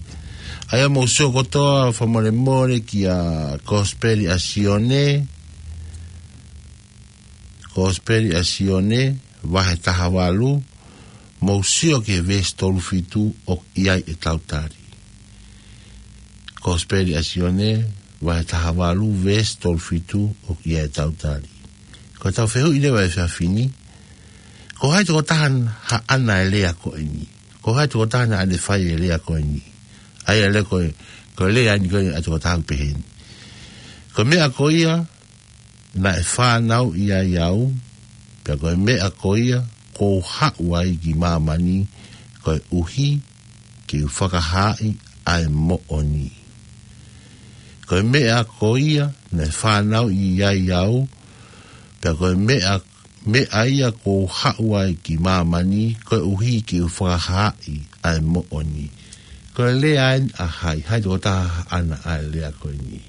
ʻA ia mou sio kotoa fakamolemole kia Kosipeli ʻa Sione, Kosipeli ʻa Sione, vahe taha valu, mou sio ki he veesi tolu fitu ʻoku ʻi ai ʻetau tali. Kosipeli ʻa Sione, vahe taha valu, veesi tolu fitu ʻoku ʻi ai ʻetau tali. Ko ʻetau fehuʻi leva he efiafi ni, ko hai tokotaha naʻa ne haʻana e lea ko eni? Ko hai tokotaha naʻa ne fai e lea ko eni? ʻA ia e lea ko ē, ko e lea eni ko ē ʻa e tokotaha ʻoku pehē ni: Ko e meʻa ko ia naʻe fanauʻi ai au, pea ko e meʻa ko ia kuo u haʻu ai ki māmani, koeʻuhi ke u fakahaaʻi ʻa e moʻoni. Ko e meʻa ko ia naʻe fanauʻi ai au, pea ko e meʻa, meʻa ia kuo u haʻu ai ki māmani, koeʻuhi ke u fakahaaʻi ʻa e moʻoni. Ko e lea eni ʻa hai, hai tokotaha haʻana ʻa e lea ko eni?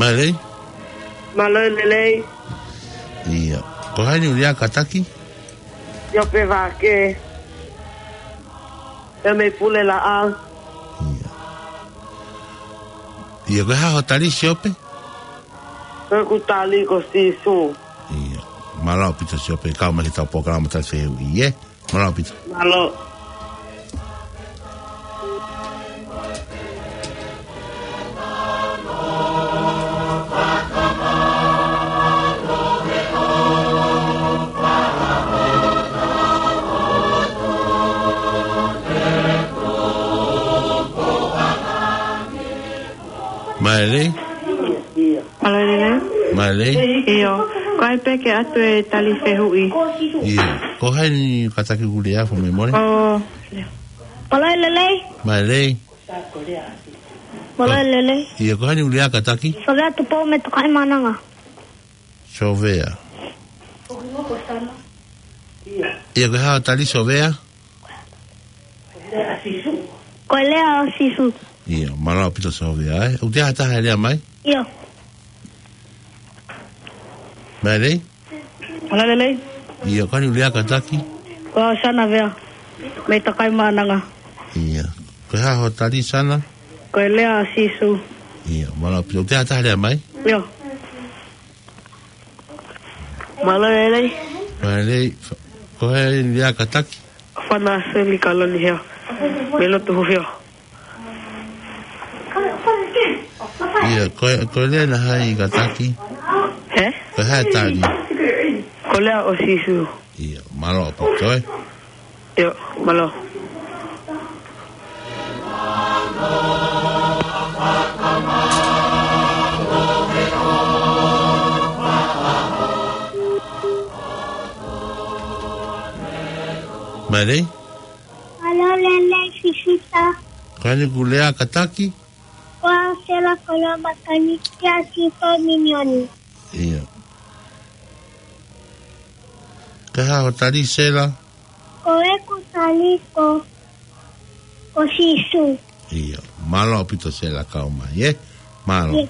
Mālō e lelei. Mālō e lelei. ʻIo. Ko hai ʻoku lea kātaki? Siope Vake. ʻIo, mei Pulelaʻau. ʻIo. ʻIo, ko e hā hoʻo tali, Siope? Ko ʻeku tali ko Sīsū. ʻIo. Mālō ʻaupito Siope, kau mai ki heʻetau polokalama tali fehuʻi, ē? Mālō ʻaupito. Mālō. Mālō e lelei. Mālō e lelei. Mālō e lelei. ʻIo. Ko hai pē ke ʻoatu e tali fehuʻi? ʻIo. Ko hai ʻoku kātaki, ʻoku lea, fakamolemole? Ko Mālō e lelei. Mālō e lelei. Mālō e lelei. ʻIo, ko hai ʻoku lea kātaki? Sovea Tupou mei Tokaimaʻananga. Sovea. ʻIo, ko e hā hoʻo tali, Sovea? Ko e lea ʻo Sīsū. ʻIo, mālō ʻaupito Sovea, ē. ʻOku ʻi ai ha taha ʻe lea mai? ʻIo. Mālō e lelei. Mālō e lelei. ʻIo, ko hai ʻoku lea kātaki? Ko au Sana Vea, mei Tokaimaʻananga. ʻIo. Ko e hā hoʻo tali, Sana? Ko e lea ʻo Sīsū. ʻIo, mālō ʻaupito. ʻOku ʻi ai ha taha ʻe lea mai? ʻIo. Mālō e lelei. Mālō e lelei. Ko hai ʻoku lea kātaki? Fana Seli Kaloni Heo, mei Lotu Hufio. ʻIo, ko e, ko e lea ʻa hai kātaki? Hē? Ko e hā e tali? Ko e lea ʻo Sīsū. ʻIo, mālō ʻaupito, ē. ʻIo, mālō. Mālō e lelei. Mālō e lelei Sisita. Ko hai ʻoku lea kātaki? Ko au Sela Koloa Makani, kia Sipa Minioni. ʻIo. Ko e hā hoʻo tali, Sela? Ko ʻeku tali ko, ko Sīsū. ʻIo. Mālō ʻaupito Sela, kau mai, ē? Mālō. ʻIo.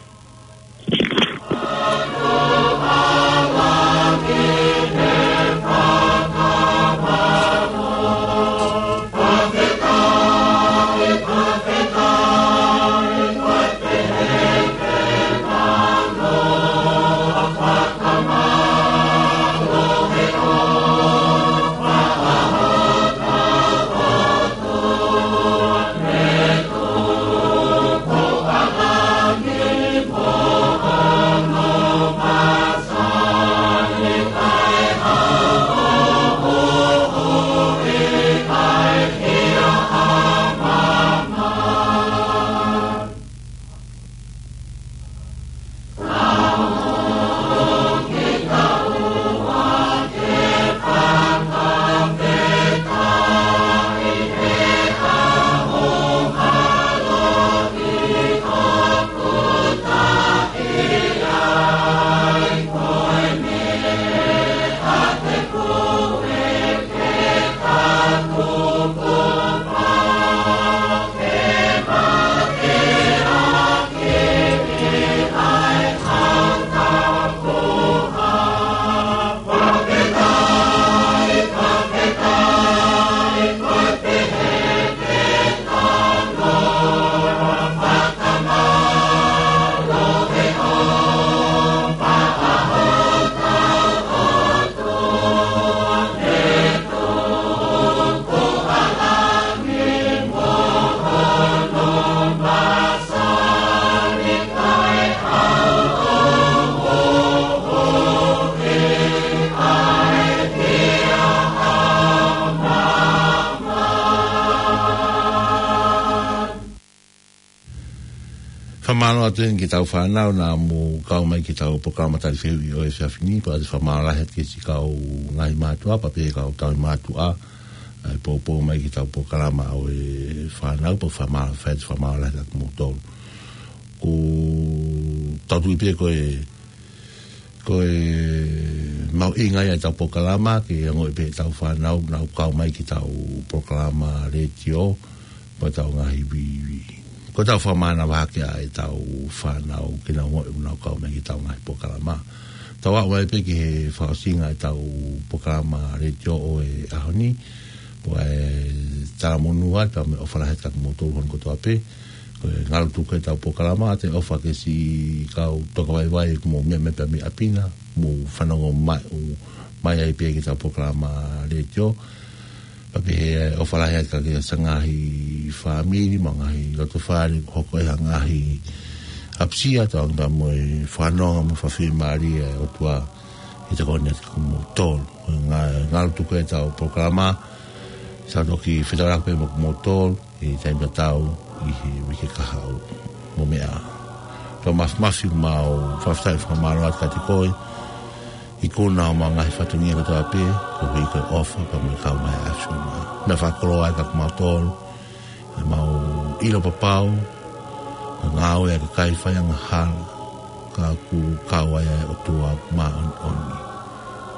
Mālō atu heni ki heʻetau fānau naʻa mou kau mai ki heʻetau polokalama tali fehuʻi ʻo e efiafi ni, pea ʻoatu e fakamālō lahi atu ki siʻi kau ngaahi mātuʻa, pea pehē ki he kau tauhi mātuʻa, ʻa e poupou mai ki heʻetau polokalama ʻo e fānau, pea fakamālō, fai atu e fakamālō lahi atu kiate kimoutolu. Ko ʻetau tui pē ko e, ko e mahuʻinga ia ʻetau polokalama, ke ongoʻi pē ʻetau fānau, nau kau mai ki heʻetau polokalama letiō, mo ʻetau ngaahi vīvī. Ko ʻetau fakamānava hake ʻa ʻetau fānau, ke nau ongoʻi ʻoku nau kau mai ki heʻetau ngaahi polokalama. Tau aʻu mai pē ki he fakaʻosinga ʻetau polokalama letiō ʻo e ʻaho ni, ʻo e talamonū atu mo e ʻofa lahi atu kiate kimoutolu hono kotoa pē. Ko e ngalu tuku ʻetau polokalama, ʻoatu e ʻofa ki siʻi kau tokavaivai ʻoku mou meʻa mai pē mei ʻapi na, mou fanongo mai, ʻo mai ai pē ki heʻetau polokalama letiō. Pea pehē ʻofa lahi atu ki he ngaahi fāmili, mo e ngaahi loto fale, hoko e ngaahi ʻapasia, tau anga mo e fanongo mo fakafiemālie ʻa e ʻOtua ʻi he tokoni atu kiate kimoutolu. Nga-, ngalu tuku ʻetau polokalama, tau toki fetaulaki pē mo kimoutolu ʻi he taimi tatau ʻi he uike kahaʻu. Mou meʻa ā. Tau mafimafi, mau fakafetaʻi fakamālō atu kiate koe, ikuna ʻo homau ngaahi fatongia kotoa pē, koeʻuhi ko e ʻofa pea mo e kau mai ʻa e ʻAfiona. Meʻa fakakoloa ia kiate kimautolu, ʻemau ʻilo papau, ko e ngāue ʻa e kakai faiangahala, ka ʻoku kau ai ʻa e ʻOtua Māʻoniʻoni.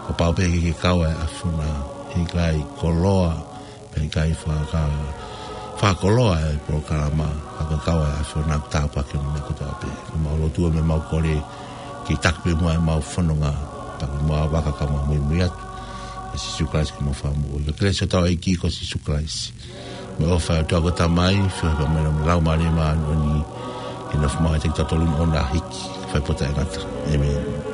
Kapau pē ʻe ʻikai ke kau ai ʻa e ʻAfiona, heʻikai koloa, pea ʻikai faka-, fakakoloa e polokalama, ka ko e kau ʻa e ʻAfiona ʻoku tāpuaki ʻene meʻa kotoa pē. Ko ʻemau lotu mo ʻemau kole, ke taki pē muʻa ʻemau fononga, pea ke mau vaka ka mau muimui atu. ʻIa Sīsū Kalaisi ko homau Fakamoʻui. Ko e kelesi ʻa hotau ʻEiki ko Sīsū Kalaisi, mo e ʻofa ʻa e ʻOtua ko e Tamai, feohi pea mo e Laumālie Māʻoniʻoni, ke nofo maʻu ʻiate kitautolu ʻo aʻu ki he ʻaho hiki, fai pē ʻo taʻengata. ʻĒmeni.